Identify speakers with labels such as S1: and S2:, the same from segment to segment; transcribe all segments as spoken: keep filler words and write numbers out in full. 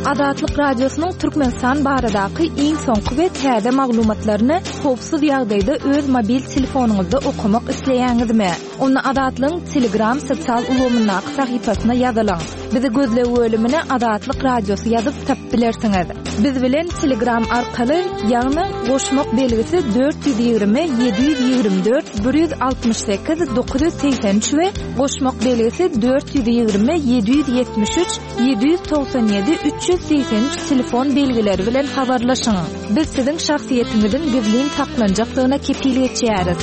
S1: Azatlyk Radiosynyň Türkmenistan baradaky iň soňky we täze maglumatlaryny howpsuz ýagdaýda öz mobil telefonyňyzda okamak isleýäňizmi? Onda Azatlygyň Telegram sosial ulgamyndaky sahypasyna ýazylyň. Bizi gözleg bölümine Azatlyk Radiosy ýazyp tapyp bilersiňiz. Biz bilen Telegram arkaly, ýagny goşmak belgisi dört ýüz ýigrimi ýedi ýüz ýigrimi dört bir ýüz altmyş sekiz dokuz ýüz segsen üç we goşmak belgisi dört ýüz ýigrimi ýedi ýüz ýetmiş üç ýedi ýüz togsan ýedi üç ýüz segsen üç telefon belgileri bilen habarlaşyň. Biz siziň şahsyýetiňiziň gizlin saklanjakdygyna kepil geçýäris.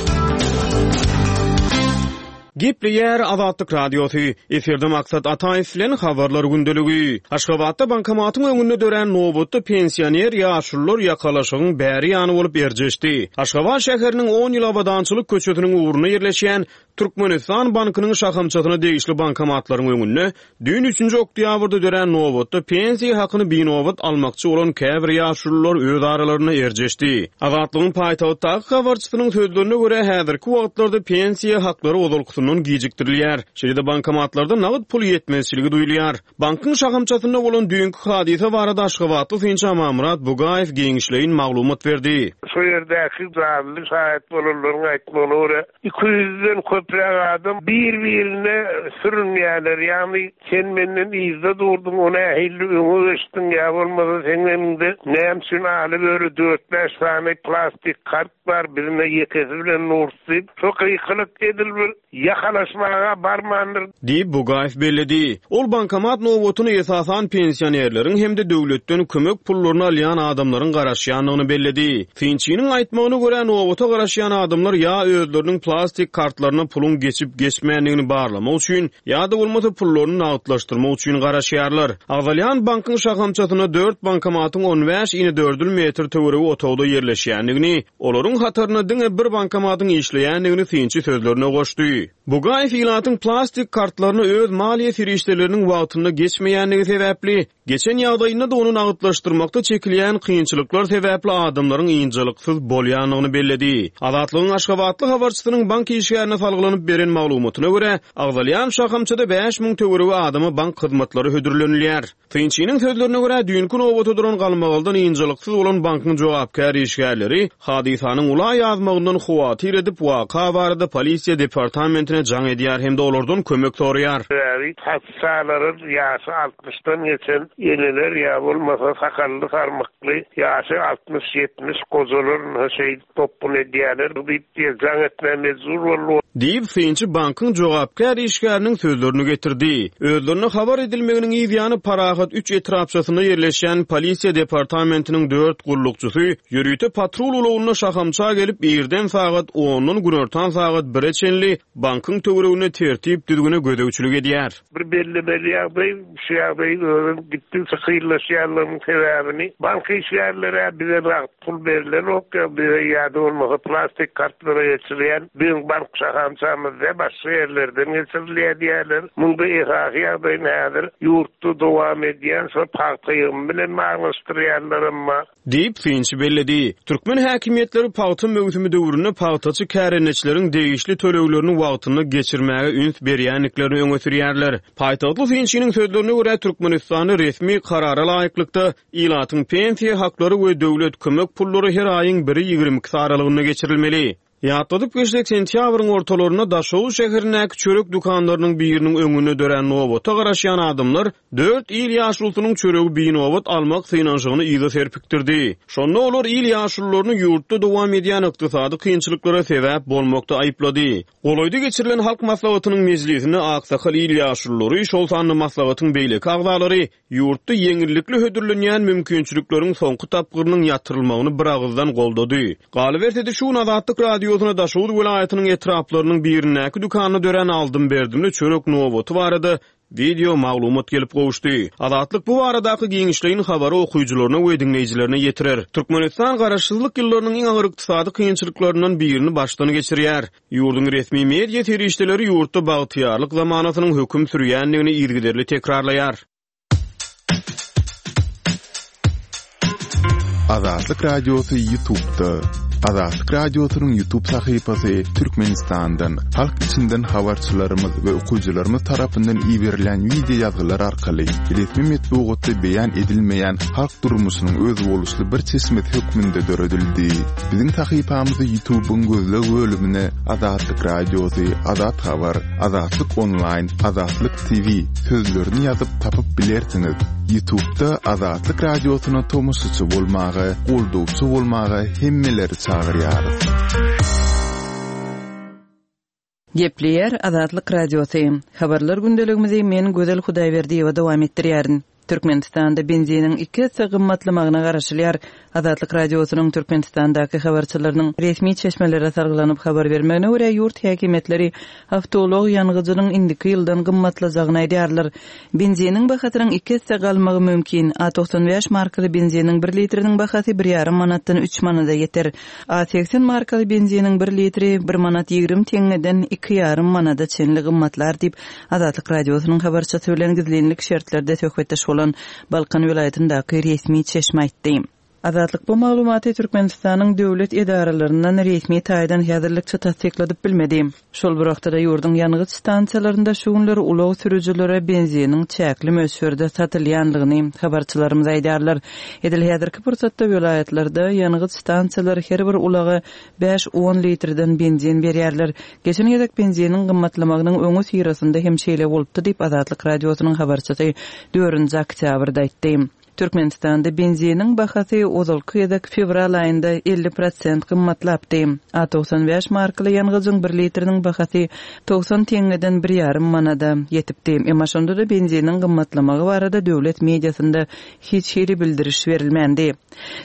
S2: Gepleýär Azatlyk Radiosy. Efirde Maksat Ataýew bilen Habarlar gündeligi. Aşgabatda bankomatyň öňünde dörän nobatda pensioner ýaşulular ýakalaşygyň bäri ýany bolup erjeşdi. Aşgabat şäheriniň on ýyl Abadançylyk köçesiniň ugrunda ýerleşýän Türkmenistan bankynyň şahamçasyna degişli bankomatlaryň öňünde düýn üçünji oktýabrda dörän nobatda pensiýa hakyny binobat almakçy bolan käbir ýaşulular öz aralarynda erjeşdi. Azatlygyň paýtagtdaky habarçysynyň sözlerine görä, häzirki wagtlarda pensiýa haklary ozalkysyndan gijikdirilýär. Şeýle-de bankomatlarda nagt pul ýetmezçiligi duýulýar. Bankyň şahamçasynda bolan düýnki hadysa barada aşgabatly synçy Amanmyrat Bugaýew giňişleýin maglumat berdi.
S3: Şu ýerdäki janly şaýat bolanlaryň aýtmagyna görä, iki ýüzden köpräk adam bir-birine sürünýärler. Ýagny sen menden yzda durduň, o nähili öňe geçdiň ýa bolmasa seň öňüňde näme üçin aly böri dört-bäş sany plastik kart bar, bizine ýekesi bilen nurtdy. Şo gykylyk edil bir ýakalaşmaga barmandyr.
S2: Diýip Bugaýew belledi. Ol bankomat nobatyny esasan pensionerleriň hem-de döwletden kömek pullaryny alýan adamlaryň garaşýandygyny belledi. Synçynyň aýtmagyna görä, nobata garaşýan adamlar ýa özleriniň plastik kartlaryna puluň geçip geçmändigini barlamak üçin, ýa-da bolmasa pullaryny nagtlaşdyrmak üçin garaşýarlar. Agzalýan bankyň şahamçasyna dört bankomatyň on bäş inedördül metr töweregi otagda ýerleşýändigini, olaryň hatarynda diňe bir bankomatyň işleýändigini synçy sözlerine goşdy. Bugaýew ilatyň plastik kartlaryny öz maliýe serişdeleriniň wagtynda geçmeýändigi sebäpli, geçen ýagdaýynda-da ony nagtlaşdyrmakda çekilýän kynçylyklar sebäpli adamlaryň ynjalyksyz bolýandygyny belledi. Azatlygyň Aşgabatly habarçysynyň bank işgärine salgylanyp beren maglumatyna görä, agzalýan şahamçada bäş müň töweregi adama bank hyzmatlary hödürlenilýär. Synçynyň sözlerine görä, düýnki nobata duran galmagaldan ynjalyksyz bolan bankyň jogapkär işgärleri hadysanyň ula ýazmagyndan howatyr edip, waka barada polisiýa departamentine jaň edýär hem-de olardan kömek soraýar.
S3: Sebäbi hassalaryň ýaşy altmyşdan geçen eneler ýa bolmasa sakally sarmykly ýaşy altmyş ýetmiş gojalar şeý topun edýärler diýip jaň etmä mejbur boldy.
S2: Diýip synçy bankyň jogapkär işgäriniň sözlerini getirdi. Özlerine habar edilmeginiň yz ýany Parahat üç etrapçasynda ýerleşýän polisiýa departamentiniň dört gullukçysy ýörite patrul ulagynda şahamça gelip irden sagat ondan günortan sagat bire çenli bankyň töwereginde tertip düzgüne gözegçilik edýär.
S3: Bir belli-belli ýagdaý, şu ýagdaý özüm gitdikçe kynlaşýanlygynyň sebäbini bank işgärleri bize nagt pul berilen ok ýa bize ýa-da bolmasa plastik kartlara geçirilýän biziň bank şahamçamyzda başga ýerlerden geçirilýär diýerler. Munda esasy ýagdaýyny häzir ýurtda dowam edýän şo pagta ýygymy bilen baglaşdyrýarlar emma.
S2: Diýip synçy belledi. Türkmen häkimiýetleri pagta möwsümi döwründe pagtaçy kärendeçileriň degişli töleglerini wagtynda geçirmäge üns berýändiklerini öňe sürýärler. Paýtagtly synçynyň sözlerine görä, Türkmenistanda resmi karara laýyklykda ilatyň pensiýa haklary we döwlet kömek pullary her aýyň biri ýigrimi iki aralygynda geçirilmeli. Ýatladyp geçsek, sentýabryň ortalarynda Daşoguz şäherindäki çörek dükanlarynyň biriniň öňünde dörän nobata garaşýan adamlar dört il ýaşulusynyň çöregi binobat almak synanyşygyny yza serpikdirdi. Şonda olar il ýaşulularyny ýurtda dowam edýän ykdysady kynçylyklara sebäp bolmakda aýyplady. Golaýda geçirilen halk maslahatynyň mejlisinde aksakal il ýaşululary, şol sanda maslahatyň beýleki agzalary ýurtda ýeňillikli hödürlenýän mümkinçilikleriň soňky tapgyrynyň ýatyrylmagyny bir agyzdan goldady. Galyberse-de şu gün Azatlyk Radiosyna Daşoguz welaýatynyň etraplarynyň birindäki dükanda dörän aldym-berdimli çörek nobaty barada video maglumat gelip gowuşdy. Azatlyk bu baradaky giňişleýin habary okyjylaryna we diňleýjilerine ýetirer. Türkmenistan garaşsyzlyk ýyllarynyň iň agyr ykdysady kynçylyklaryndan birini başdan geçirýär. Ýurduň resmi media serişdeleri ýurtda bagtyýarlyk zamanasynyň höküm sürýändigini yzygiderli tekrarlaýar.
S4: Azatlyk Radiosy YouTube'da. Azatlyk Radiosynyň YouTube sahypasy Türkmenistandan, halk içinden habarçylarymyz we okyjylarymyz tarapyndan iberilen wideo ýazgylar arkaly resmi metbugatda beýan edilmeýän halk durmuşynyň özboluşly bir çeşmesi hökmünde döredildi. Biziň sahypamyzy YouTube'yň gözleg bölümine Azatlyk Radiosy, Azat Habar, Azatlyk Online, Azatlyk T V sözlerini ýazyp tapyp bilersiňiz. YouTube'da Azatlyk Radiosyna tomaşaçy bolmaga, goldawçy bolmaga hemmeleri çagyrýarys.
S5: Gepleýär Azatlyk Radiosy. Habarlar gündeligimizi men Gözel Hudaýberdiýewa dowam etdirýärin. Türkmenistanda benziniň iki esse gymmatlamagyna garaşylýar. Azatlyk Radiosynyň Türkmenistandaky habarçylarynyň resmi çeşmelere salgylanyp habar bermegine görä ýurt häkimiýetleri awtoulag ýangyjynyň indiki ýyldan gymmatlajagyny aýdýarlar. Benziniň bahasynyň iki esse galmagy mümkin. A togsan bäş markaly benziniň bir litriniň bahasy bir ýarym manatdan üç manada ýeter. A seksen markaly benziniň bir litri bir manat ýigrimi teňňeden iki ýarym manada çenli gymmatlar diýip Azatlyk Radiosynyň habarçysy bilen gizlinlik şertlerde söhbetdeş bolan Balkan welaýatyndaky resmi çeşme aýtdy. Azatlyk bu maglumaty Türkmenistanyň döwlet edaralaryndan resmi taýdan häzirlikçe tassykladyp bilmedi. Şol bir wagtda ýurduň ýangyç stansiýalarynda şu günler ulag sürüjilere benziniň çäkli möçberde satylýanlygyny habarçylarymyz aýdýarlar. Edil häzirki pursatda welaýatlarda ýangyç stansiýalary her bir ulaga bäş on litrden benzin berýärler. Geçen gezek benziniň gymmatlamagynyň öňi syrasynda hem şeýle bolupdy diýip Azatlyk Radiosynyň habarçysy dördünji oktýabrda aýtdy. Türkmenistanda benziniň bahasy ozalky gezek fewral aýynda elli prosent gymmatlapdy. A togsan bäş markaly ýangyjyň bir litriniň bahasy togsan teňňeden bir ýarym manada ýetipdi. Emma şonda da benziniň gymmatlamagy barada döwlet mediasynda hiç hili bildiriş berilmändi.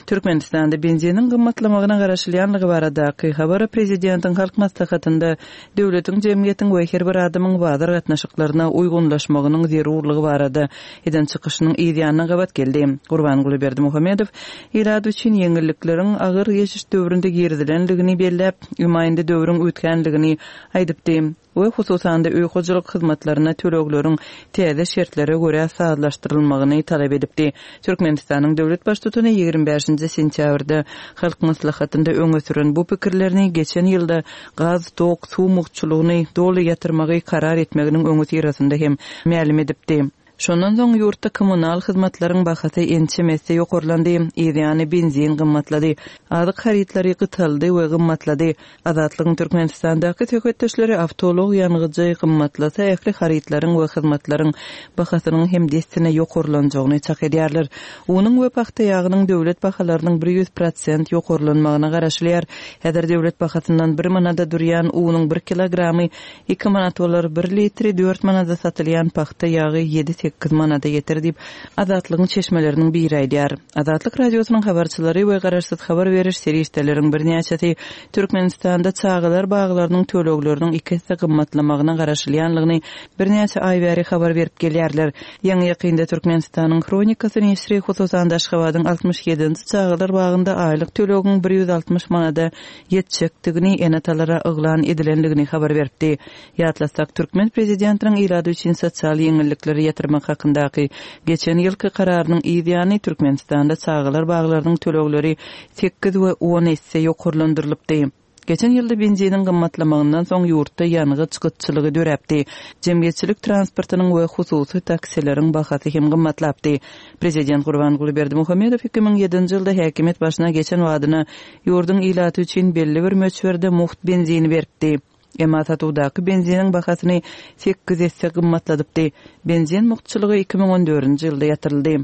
S5: Türkmenistanda benziniň gymmatlamagyna garaşylýanlygy baradaky habary prezidentiň halk maslahatynda döwletiň, jemgyýetiň we her bir adamyň bazar gatnaşyklaryna uýgunlaşmagynyň zerurlygy barada eden çykyşynyň yzýanyna gabat geldi. Gurbanguly Berdimuhamedow ilat üçin ýeňillikleriň agyr geçiş döwründe girizilenligini belläp, ümaýynda döwrüň ötkenligini aýdypdy we hususan-da öý hojalyk hyzmatlaryna tölegleriň täze şertlere görä sazlaşdyrylmagyny talap edipdi. Türkmenistanyň döwlet baştutany ýigrimi bäşinji sentýabrda halk maslahatynda öňe süren bu pikirlerini geçen ýylda gaz, tok, suw mugtçulygyny doly ýatyrmagy karar etmeginiň öňi syrasynda hem mälim edipdi. Şondan soň ýurtda kommunal hyzmatlaryň bahasy ençemesi ýokarlandy, yzýany benzin gymmatlady, azyk harytlary gytaldy we gymmatlady. Azatlygyň Türkmenistandaky söhbetdeşleri awtoulag ýangyjy gymmatlasa ähli harytlaryň we hyzmatlaryň bahasynyň hem dessine ýokarlanjagyny çak edýärler. Unuň we pagta ýagynyň döwlet bahalarynyň bir ýüz prosent ýokarlanmagyna garaşylýar. Häzir döwlet bahasyndan bir manada durýan unuň bir kilogramy iki manat bolar, bir litri dört manada satylýan pagta ýagy ýedi sekiz manada ýeter diýip Azatlygyň çeşmeleriniň biri aýdýar. Azatlyk Radiosynyň habarçylary we garaşsyz habar beriş serişdeleriň birnäçesi Türkmenistanda çagalar baglarynyň tölegleriniň iki esse gymmatlamagyna garaşylýanlygyny birnäçe aý bäri habar berip gelýärler. Ýaňy ýakynda Türkmenistanyň Hronikasy neşiri hususan Aşgabadyň altmyş ýedinji çagalar bagynda aýlyk tölegiň bir ýüz altmyş manada ýetjekdigini ene-atalara yglan edilenligini habar beripdi. Ýatlasak, Türkmen prezidentiniň ilady üçin sosial ýeňillikleri ýatyrmak hakyndaky geçen ýylky kararynyň yzýany Türkmenistanda çagalar baglarynyň tölegleri sekiz we on esse ýokarlandyrylypdy. Geçen ýylda benziniň gymmatlamagyndan soň ýurtda ýangyç gytçylygy döräpdi. Jemgyýetçilik transportynyň we hususy taksileriň bahasy hem gymmatlapdy. Prezident Gurbanguly Berdimuhamedow iki müň ýedinji ýylda häkimiýet başyna geçen wadyna ýurduň ilaty üçin belli bir möçberde mugt benzini beripdi. Emma satuwdaky benziniň bahasyny sekiz esse gymmatladypdy. Benzin mugtçulygy iki müň on dördünji ýylda ýatyryldy.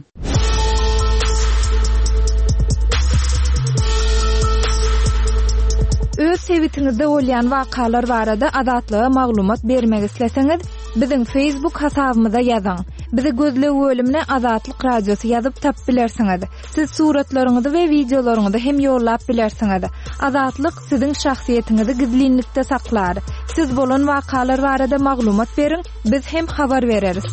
S1: Öz sebitiňizde bolýan wakalar barada Azatlyga maglumat bermek isleseňiz, biziň Facebook hasabymyza ýazyň. Bizi gözleg bölümine Azatlyk Radiosy ýazyp tap bilersiňiz. Siz suratlaryňyzy we wideolaryňyzy hem ýollap bilersiňiz. Azatlyk siziň şahsyýetiňizi gizlinlikde saklar. Siz bolan wakalar barada maglumat beriň, biz hem habar bereris.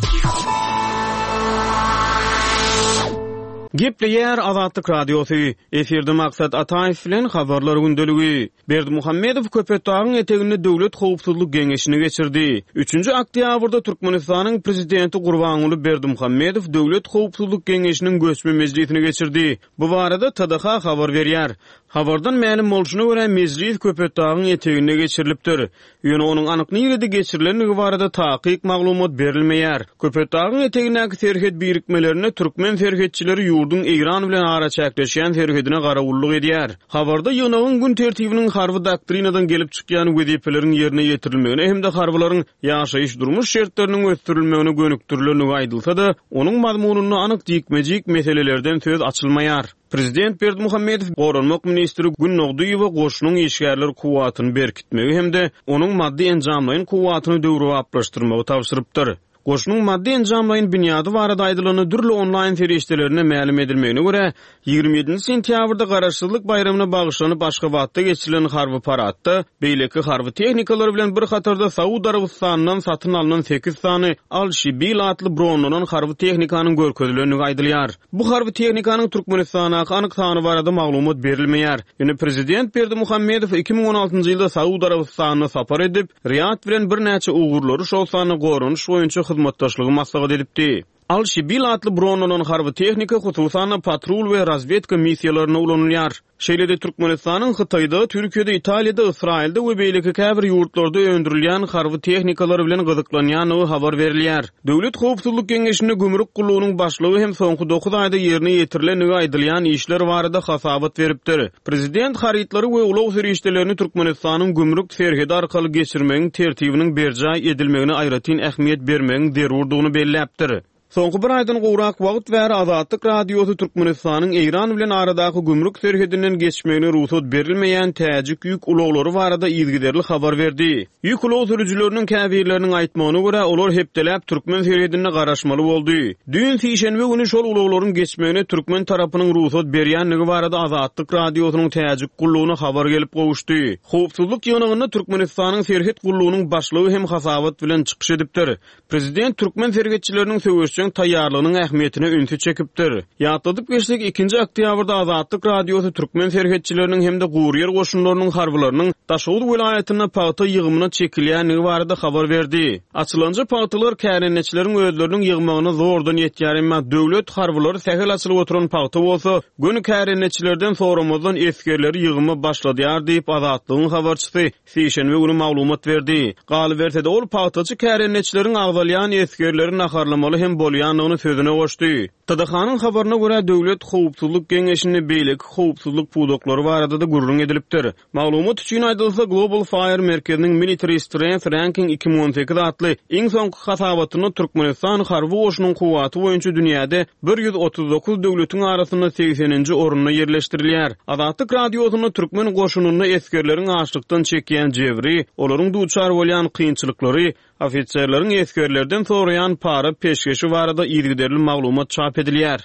S2: Gepleýär Azatlyk Radiosy. Efirde Maksat Ataýew bilen Habarlar gündeligi. Berdimuhamedow Köpetdagyň eteginde Döwlet howpsuzlyk geňeşini geçirdi. Üçünji oktýabrda Türkmenistanyň Prezidenti Gurbanguly Berdimuhamedow Döwlet howpsuzlyk geňeşiniň göçme mejlisini geçirdi. Bu barada T D H habar berýär. Habardan mälim bolşuna görä, mejlis Köpetdagyň eteginde geçirilipdir. Ýöne onuň anyk nirede geçirilendigi barada takyk maglumat berilmeýär. Köpetdagyň etegindäki serhet birikmelerinde türkmen serhetçileri ýurduň Eýran bilen araçäkleşýän serhedine garawullyk edýär. Habarda ýygnagyň gün tertibiniň harby doktrinadan gelip çykýan wezipeleriň ýerine ýetirilmegine hem-de harbylaryň ýaşaýyş-durmuş şertleriniň ösdürilmegine gönükdirilendigi aýdylsa-da, onuň mazmunynda anyk jikme-jik meselelerden söz açylmaýar. Prezident Berdimuhamedow Goranmak ministri Günnogdyýewe goşunyň işgärler kuwwatyny berkitmegi hem-de onuň maddy-enjamlaýyn kuwwatyny döwrebaplaşdyrmagy tabşyrypdyr. Goşunyň maddy-enjamlaýyn binýady barada aýdylanda, dürli onlaýn serişdelerinde mälim edilmegine görä, ýigrimi ýedinji sentýabrda Garaşsyzlyk baýramyna bagyşlanyp Aşgabatda geçirilen harby paradda beýleki harby tehnikalar bilen bir hatarda Saud Arabystanyndan satyn alnan sekiz sany Al-Şibil atly bronlanan harby tehnikanyň görkezilendigi aýdylýar. Bu harby tehnikanyň Türkmenistandaky anyk sany barada maglumat berilmeýär. Ýöne prezident Berdimuhamedow iki müň on altynjy ýylda Saud Arabystanyna sapar edip, Riýad bilen birnäçe ugurlary, şol sanda goranyş boýunça hyzmatdaşlygy maslahat edipdi. Al-Şibil atly bronlanan harby tehnika hususan-da patrul we razwedka missiýalarynda ulanylýar. Şeýle-de Türkmenistanyň Hytaýda, Türkiýede, Italiýada, Ysraýylda we beýleki käbir ýurtlarda öndürilýän harby tehnikalar bilen gyzyklanýandygy habar berilýär. Döwlet howpsuzlyk geňeşinde gümrük gullugynyň başlygy hem soňky dokuz aýda ýerine ýetirilendigi aýdylýan işler barada hasabat beripdir. Prezident harytlary we ulag serişdelerini Türkmenistanyň gümrük serhedi arkaly geçirmegiň tertibiniň berjaý edilmegine aýratyn ähmiýet bermegiň zerurdygyny belläpdir. Soňky bir aýdan gowrak wagt bäri Azatlyk Radiosy Türkmenistanyň Eýran bilen aradaky gümrük serhedinden geçmegine rugsat berilmeýän täjik ýük ulaglary barada yzygiderli habar berdi. Ýük ulag sürüjileriniň käbirleriniň aýtmagyna görä, olar hepdeläp türkmen serhedinde garaşmaly boldy. Düýn sişenbe güni şol ulaglaryň geçmegine türkmen tarapynyň rugsat berýändigi barada Azatlyk Radiosynyň täjik gullugyna habar gelip gowuşdy. Howpsuzlyk ýygnagynda Türkmenistanyň serhet gullugynyň başlygy hem hasabat bilen çykyş edipdir. Prezident türkmen serhetçileriniň söweşjeň taýýarlygynyň ähmiýetine ünsi çekipdir. Ýatladyp geçsek, ikinji oktýabrda Azatlyk Radiosy türkmen serhetçileriniň hem-de guryýer goşunlarynyň harbylarynyň Daşoguz welaýatynda pagta ýygymyna çekilýändigi barada habar berdi. Açylanja pagtalar kärendeçileriň özleriniň ýygmagyna zordan ýetýär, emma döwlet harbylary sähel açylyp oturan pagta bolsa, göni kärendeçilerden soramazdan esgerleri ýygyma başladýar diýip Azatlygyň habarçysy sişenbe güni maglumat berdi. Galyberse-de ol pagtaçy kärendeçileriň agzalýan esgerleri naharlamaly hem bolýandygyny sözüne goşdy. T D H-nyň habaryna görä, Döwlet howpsuzlyk geňeşinde beýleki howpsuzlyk pudaklary barada-da gürrüň edilipdir. Maglumat üçin aýdylsa, Global Fire merkeziniň Military Strength Ranking iki müň on sekiz atly iň soňky hasabatynda Türkmenistan harby goşunyň kuwwaty boýunça dünýäde bir ýüz otuz dokuz döwletiň arasynda segseninji orunda ýerleşdirilýär. Azatlyk Radiosynda türkmen goşunynda esgerleriň açlykdan çekýän jebri, olaryň duçar bolýan kynçylyklary, ofiserleriň esgerlerden soraýan para peşgeşi barada yzygiderli maglumat çap edilýär.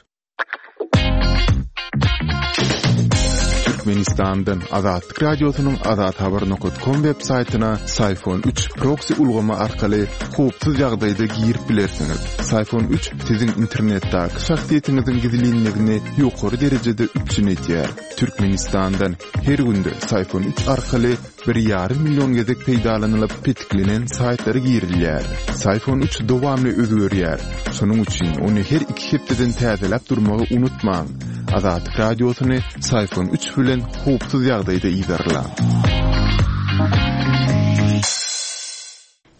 S4: Türkmenistandan Azatlyk Radiosynyň azathabar nokta com web saýtyna Syfon üç proxy ulgamy arkaly howpsuz ýagdaýda girip bilersiňiz. Syfon üç siziň internetdäki şahsyýetiňiziň gizlinligini ýokary derejede üpjün edýär. Türkmenistandan her günde Syfon üç arkaly bir ýarym million gezek peýdalanylyp petiklenen saýtlara girilýär. Syfon üç dowamly özgerýär. Şonuň üçin ony her iki hepdeden täzeläp durmagy unutmaň. Azatlyk Radiosyny Syfon üç bilen howpsuz ýagdaýda yzarlaň.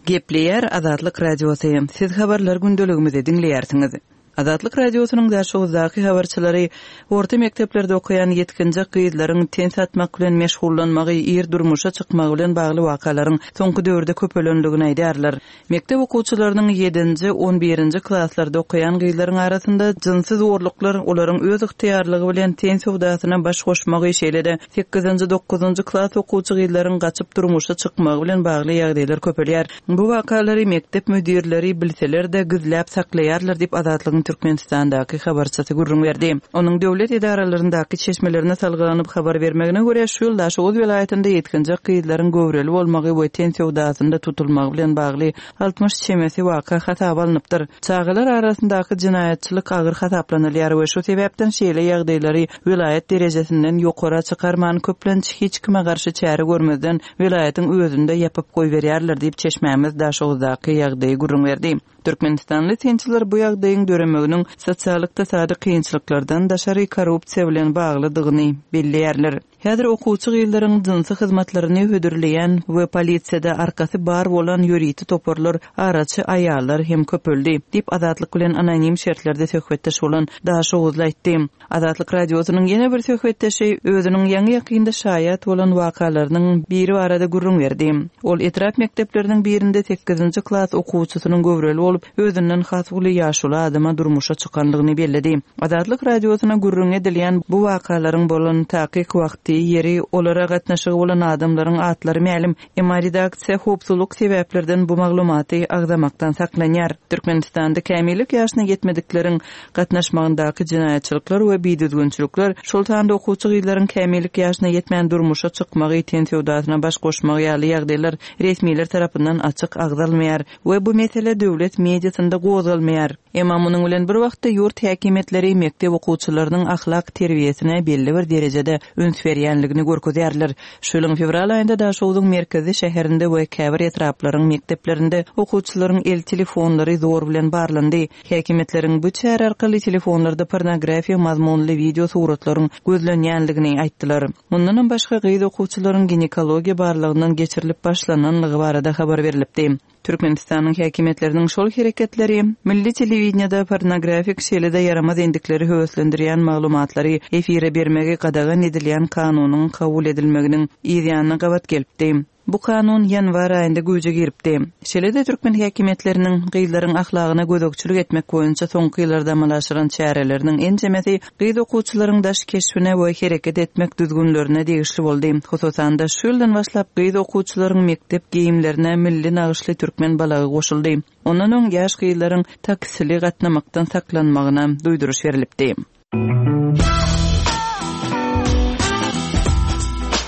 S5: Gepleýär Azatlyk Radiosy. Siz habarlar gündeligimizi diňleýärsiňiz. Azatlyk Radiosynyň Daşoguzdaky habarçylary orta mekdeplerde okaýan ýetginjek gyzlaryň ten satmak bilen meşgullanmagy, ir durmuşa çykmagy bilen bagly wakalaryň soňky döwürde köpelendigini aýdýarlar. Mekdep okuwçylarynyň ýedinji, on birinji klaslarda okaýan gyzlaryň arasynda jynsy zorluklar, olaryň öz ygtyýarlygy bilen ten söwdasyna baş goşmagy, şeýle-de sekizinji, dokuzynjy klas okuwçy gyzlaryň gaçyp durmuşa çykmagy bilen bagly ýagdaýlar köpelýär. Bu wakalary mekdep müdirleri bilseler-de gizläp saklaýarlar diýip Azatlygyň Azatlygyň Türkmenistandaky habarçysy gürrüň berdi. Onuň döwlet edaralaryndaky çeşmelerine salgylanyp habar bermegine görä, şu ýyl Daşoguz welaýatynda ýetginjek gyzlaryň göwreli bolmagy we ten söwdasynda tutulmagy bilen bagly altmyş çemesi waka hasaba alnypdyr. Çagalar arasyndaky jenaýatçylyk agyr hasaplanylýar we şu sebäpden şeýle ýagdaýlary welaýat derejesinden ýokara çykarman, köplenç hiç kime garşy çäre görmezden welaýatyň özünde ýapyp goýberýärler diýip, çeşmämiz Daşoguzdaky ýagdaýy gürrüň berdi. Türkmenistanly synçylar bu ýagdaýyň döremeginiň sosial-ykdysady kynçylyklardan daşary korrupsiýa bilen baglydygyny belleýärler. Häzir okuwçy gyzlaryň jynsy hyzmatlaryny hödürleýän we polisiýada arkasy bar bolan ýörite toparlar, araçy aýallar hem köpeldi, diýip, Azatlyk bilen anonim şertlerde söhbetdeş bolan Daşoguzly aýtdy. Azatlyk Radiosynyň ýene bir söhbetdeşi özüniň ýaňy-ýakynda şaýat bolan wakalarynyň biri barada gürrüň berdi. Ol etrap mekdepleriniň birinde sekizinji klas okuwçysynyň göwreli bolup, özünden has uly ýaşuly adama durmuşa çykandygyny belledi. Azatlyk Radiosyna gürrüň edilýän bu wakalaryň bolan takyk wagty, ýeri, olara gatnaşygy bolan adamlaryň atlary mälim, emma redaksiýa howpsuzlyk sebäplerden bu maglumaty agzamakdan saklanýar. Türkmenistanda kämillik ýaşyna ýetmedikleriň gatnaşmagyndaky jenaýatçylyklar we bidüzgünçilikler, şol sanda okuwçy gyzlaryň kämillik ýaşyna ýetmän durmuşa çykmagy, ten söwdasyna baş goşmagy ýaly ýagdaýlar resmiler tarapyndan açyk agzalmaýar we bu mesele döwlet mediasynda gozgalmaýar. Emma munuň bilen bir wagtda ýurt häkimiýetleri mekdep okuwçylarynyň ahlak terbiýesine belli bir derejede üns berýänligini görkezýärler. Şu ýylyň fewral aýynda Daşogzuň merkezi şäherinde we käbir etraplaryň mekdeplerinde okuwçylaryň el telefonlary zor bilen barlandy. Häkimiýetleriň bu çäre arkaly telefonlarda pornografiýa mazmunly wideo suratlaryň gözlenýänligini aýtdylar. Mundanam başga gyz okuwçylaryň ginekologiýa barlagyndan geçirilip başlananlygy barada habar berlipdi. Türkmenistanyň häkimiýetleriniň şol hereketleri milli telewideniýede pornografik şeýle-de ýaramaz endikleri höweslendirýän maglumatlary efire bermegi gadagan edilýän kanunyň kabul edilmeginiň yz ýanyna gabat gelipdi. Bu kanun ýanwar aýynda güýje giripdi. Şeýle-de türkmen häkimiýetleriniň gyzlaryň ahlagyna gözegçilik etmek boýunça soňky ýyllarda amala aşyran çäreleriniň ençemesi gyz okuwçylaryň daş keşbine we hereket etmek düzgünlerine degişli boldy. Hususan-da, şu ýyldan başlap gyz okuwçylaryň mekdep geýimlerine milli nagyşly türkmen balagy goşuldy. Ondan öň ýaş gyzlaryň taksili gatnamakdan saklanmagyna duýduryş berlipdi.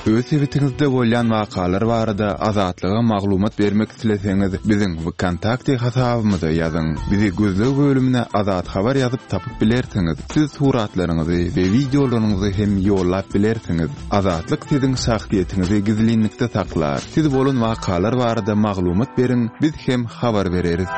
S4: Öz sebitiňizde bolýan wakalar barada Azatlyga maglumat bermek isleseňiz, biziň VKontakte hasabymyza ýazyň. Bizi gözleg bölümine Azat Habar ýazyp tapyp bilersiňiz. Siz suratlaryňyzy we wideolaryňyzy hem ýollap bilersiňiz. Azatlyk siziň şahsyýetiňizi gizlinlikde saklar. Siz bolan wakalar barada maglumat beriň, biz hem habar bereris.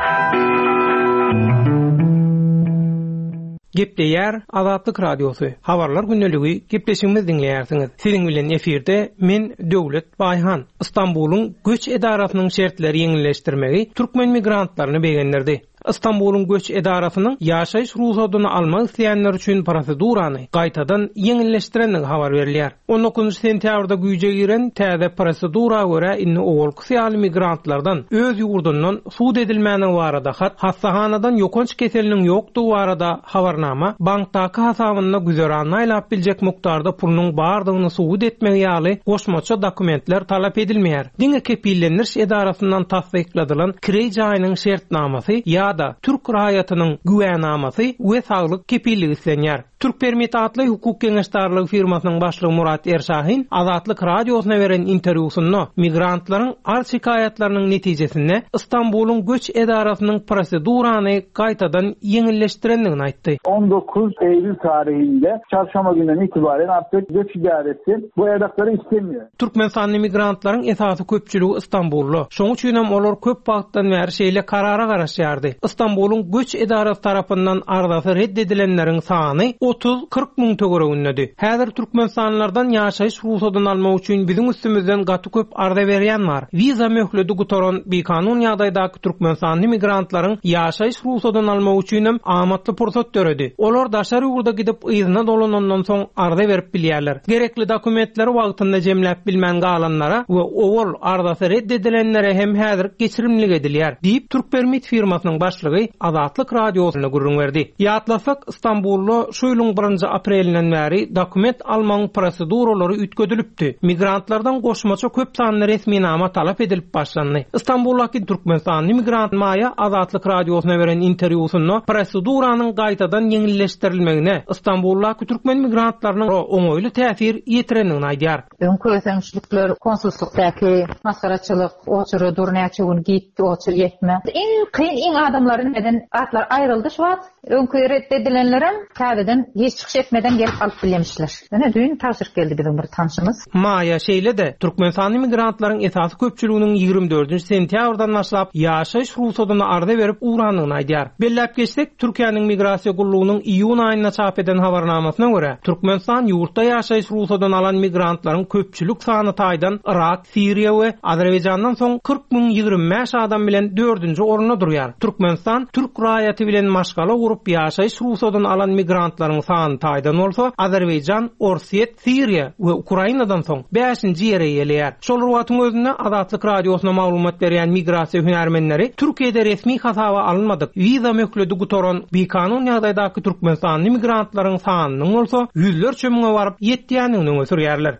S6: Gepleýär Azatlyk Radiosy. Habarlar gündeligi gepleşigimizi diňleýärsiňiz. Siziň bilen efirde men Döwlet Baýhan. Istanbulyň göç edarasynyň şertleri ýeňilleşdirmegi türkmen migrantlaryny begendirdi. Istanbulyň göç edarasynyň ýaşaýyş rugsatlaryny almak isleýänler üçin prosedurany gaýtadan ýeňilleşdirenligi habar berilýär. On dokuzynjy sentýabrda güýje giren täze prosedura görä indi owalky ýaly migrantlardan öz ýurdundan sud edilmäniň barada hat, hassahanadan ýokanç keseliniň ýokdugy barada habarnama, bankdaky hasabynda güzeranyny aýlap biljek mukdarda pulunyň bardygyny subut etmegi ýaly goşmaça dokumentler talap edilmeýär. Diňe kepillendiriş edarasyndan tassykladylan kireý jaýynyň şertnamasy ýa-da Türk raýatynyň güwänamasy we saglyk kepilligi islenýär. Türk Permit atly hukuk geňeşdarlygy firmasynyň başlygy Murat Erşahin Azatlyk Radiosyna beren interwýusynda migrantlaryň arz şikaýatlarynyň netijesinde Istanbulyň göç edarasynyň prosedurany gaýtadan ýeňilleşdirendigini aýtdy.
S7: On dokuz Eylül tarihinde çarşamba günden itibaren artık göç idaresi bu evrakları istemiyor.
S6: Türkmenistanly migrantlaryň esasy köpçüligi Istanbulda. Şonuň üçin hem olar köp wagtdan bäri şeýle karara garaşýardy. Istanbulyň göç edarasy tarapyndan arzasy reddedilenleriň sany otuz kyrk müň töweregindedi. Häzir Türkmenistanlylardan ýaşaýyş rugsatlaryny almak üçin biziň üstümizden gaty köp arza berýän bar. Wiza möhleti gutaran bikanun ýagdaýdaky Türkmenistanly migrantlaryň ýaşaýyş rugsatlaryny almak üçin hem amatly pursat döredi. Olar daşary ýurda gidip yzyna dolanandan soň arza berip bilýärler. Gerekli dokumentleri wagtynda jemläp bilmän galanlara we owal arzasy reddedilenlere hem häzir geçirimlik edilýär, diýip Türk Permit firmasynyň başlygy başlygy Azatlyk Radiosyna gürrüň berdi. Ýatlasak, Istanbulda şu ýylyň birinji aprelinden bäri dokument almagyň proseduralary üýtgedilipdi. Migrantlardan goşmaça köp sanly resminama talap edilip başlandy. Istanbuldaky Türkmenistanly migrant Maýa Azatlyk Radiosyna beren interwýusynda proseduranyň gaýtadan ýeňilleşdirilmegine Istanbuldaky türkmen migrantlarynyň oňaýly täsir ýetirendigini aýdýar.
S8: Öňki ösençlikler konsullukdaky masgaraçylyk, oçura dur näçe gün gitdi, oçur ýetme. Iň kyn iň adamlaryň neden atlar aýryldy şu wagt. Öňki ret edilenlerem täzeden hiç çykyş etmeden gelip alyp bilmişler. Ýöne düýn tabşyryk geldi biziň bir tanşymyz.
S6: Maýa şeýle-de Türkmenistanly migrantlaryň esasy köpçüliginiň ýigrimi dördünji sentýabrdan başlap ýaşaýyş rugsadyny arza berip ugrandygyny aýdýar. Belläp geçsek, Türkiýäniň migrasiýa gullugynyň iýun aýynda çap eden habarnamasyna görä, Türkmenistan ýurtda ýaşaýyş rugsadyny alan migrantlaryň köpçülik sany taýdan Irak, Siriýa we Azerbaýjandan soň kyrk müň ýigrimi bäş adam bilen dördünji orunda durýar. Türkmenistan türk raýaty bilen maşgala gurup ýaşaýyş rugsadyny alan migrantlaryň sany taýdan bolsa Azerbaýjan, Orsýet, Siriýa we Ukrainadan soň bäşinji ýere eýeleýär. Şol wagtyň özünde Azatlyk Radiosyna maglumat berýän migrasiýa hünärmenleri Türkiýede resmi hasaba alynmadyk wiza möhleti gutaran bikanun ýagdaýdaky Türkmenistanly migrantlaryň sanynyň bolsa ýüzlerçe müňe baryp ýetýändigini öňe sürýärler.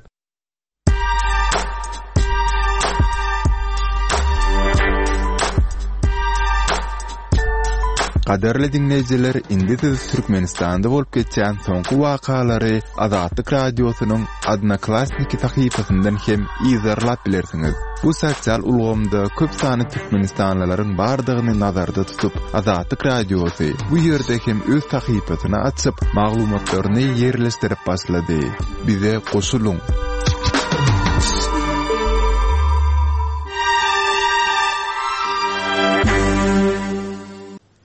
S4: Gaderli dinleýjiler, indi siz Türkmenistanda bolup geçýän soňky wakalary Azatlyk Radiosynyň Odnoklassniki sahypasyndan hem yzarlap bilersiňiz. Bu sosial ulgamda köp sanly türkmenistanlylaryň bardygyny nazarda tutup, Azatlyk Radiosy bu ýerde hem öz sahypasyny açyp, maglumatlaryny ýerleşdirip başlady. Bize goşulyň.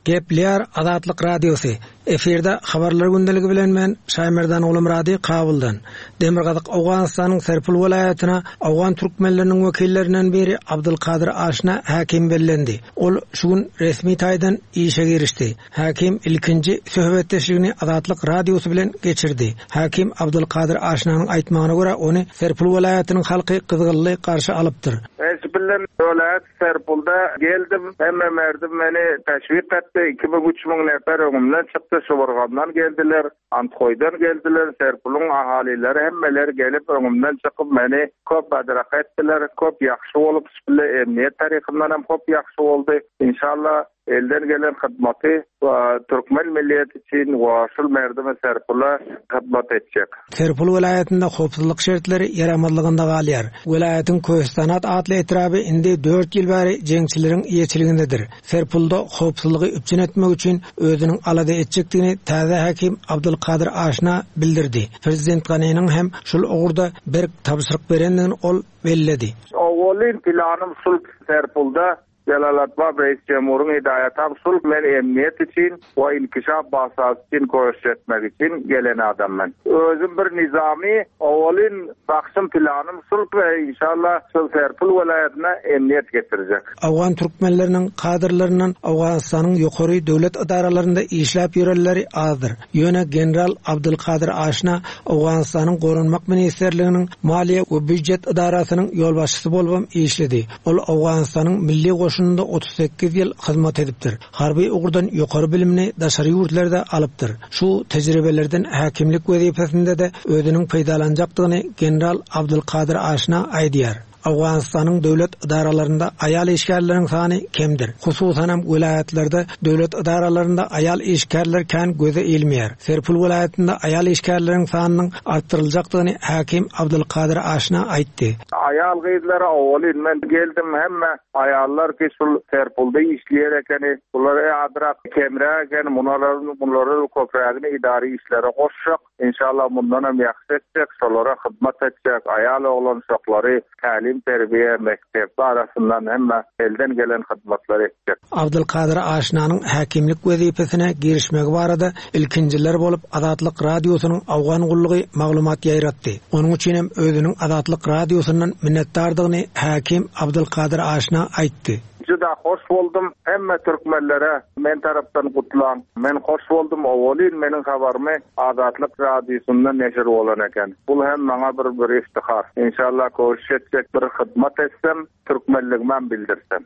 S9: Gepleýär Azatlyk Radiosy. Efirde habarlar gündeligi bilen men Şaýmerdan Gulumrady Kabuldan. Demirgazyk Owganystanyň Serpul welaýatyna Owgan türkmenleriniň wekillerinden biri Abdulkadir Aşna häkim bellendi. Ol şu gün resmi taýdan işe girişdi. Häkim ilkinji söhbetdeşligini Azatlyk Radiosy bilen geçirdi. Häkim Abdulkadir Aşnanyň aýtmagyna görä ony Serpul welaýatynyň halky gyzgynly garşy alypdyr.
S10: Esbillen welaýat Serpulda geldim. Hemme merdim meni teşwik etdi. Iki müň üç müň nefer öňümden çykdy. Şuburgandan geldiler, Anthoýdan geldiler, Serpuluň ahalileri hemmeler gelip öňümden çykyp meni köp badrak etdiler. Köp ýagşy bolup, bile emniyet tarafyndan hem köp ýagşy boldy. Inşallah elden gelen hyzmaty we türkmen milliyeti üçin we şul merdime Serpula hyzmat etjek.
S9: Serpul welaýatynda howpsuzlyk şertleri ýaramazlygynda galýar. Welaýatyň Köstanat atly etraby indi dört ýyl bäri jeňçileriň eýeçiligindedir. Serpulda howpsuzlygy üpjün etmek üçin özüniň alada etjekdigini täze häkim Abdulkadir Aşna bildirdi. Prezident Ganiniň hem şul ugurda berk tabşyryk berendigini ol belledi.
S10: Owalyn planym şul Serpulda Jalalatba Reis Cemur'un hidayetam sul men emniyet için ve inkişaf basası için koşu etmek için gelen adam ben. Özüm bir nizami ovalin bakşım planım sul ve inşallah sul Serpul vilayetine emniyet getirecek.
S9: Afgan Türkmenlerinin kadrlarından Afganistan'ın yukarı devlet idaralarında işlep yürürleri azdır. Yöne General Abdülkadir Aşna Afganistan'ın Korunmak Ministerliğinin Maliye ve Büdjet İdarasının yolbaşçısı bolubam işledi. Ol Afganistan'ın milli goşununda otuz sekiz ýyl hyzmat edipdir. Harby ugurdan ýokary bilimini daşary ýurtlarda alypdyr. Şu tejribelerden häkimlik wezipesinde de özüniň peýdalanjakdygyny General Abdülkadir Aşna aýdýar. Afganistan'ın döwlet idaralarynda aýal işgärleriň sany kemdir. Hususan hem welaýatlarda döwlet idaralarynda aýal işgärler kän göze ilmeýär. Serpul welaýatynda aýal işgärleriň sanynyň artdyryljakdygyny häkim Abdülkadir Aşna aýtdy.
S10: Aýal gyzlara owalyn men geldim hemme aýallar ki şul Serpulda işleýär ekeni, bular adrak kemre eken, bunların bunları köprägini idari işlere goşjak. İnşallah mundan hem ýagşy etjek, şolara hyzmat etjek, aýal oglan şoklary tälim terbiýe mekdep arasyndan hemme elden gelen hyzmatlar etjek.
S9: Abdülkadir Aşnanyň häkimlik wezipesine girişmegi barada ilkinjiler bolup Azatlyk Radiosynyň Awgan gullugy maglumat ýaýratdy. Onuň üçin hem özüniň Azatlyk Radiosyndan minnetdardygyny häkim Abdülkadir Aşna aýtdy.
S10: Juda hoş boldum. Hemme türkmenlere men tarapdan gutlan. Men hoş boldum. Owalyn meniň habarymy Azatlyk Radiosyndan neşir bolan eken. Bul hem maňa bir, bir iftihar. İnşallah koşuş etjek bir hyzmat etsem, türkmenligimi bildirsem.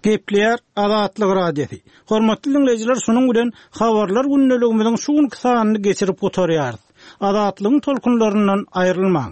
S11: Gepleýär Azatlyk Radiosy. Hormatly diňleýjiler, şunuň bilen Habarlar gündeligimiziň şu günki sanyny geçirip gutarýarys. Azatlygyň tolkunlaryndan aýrylmaň.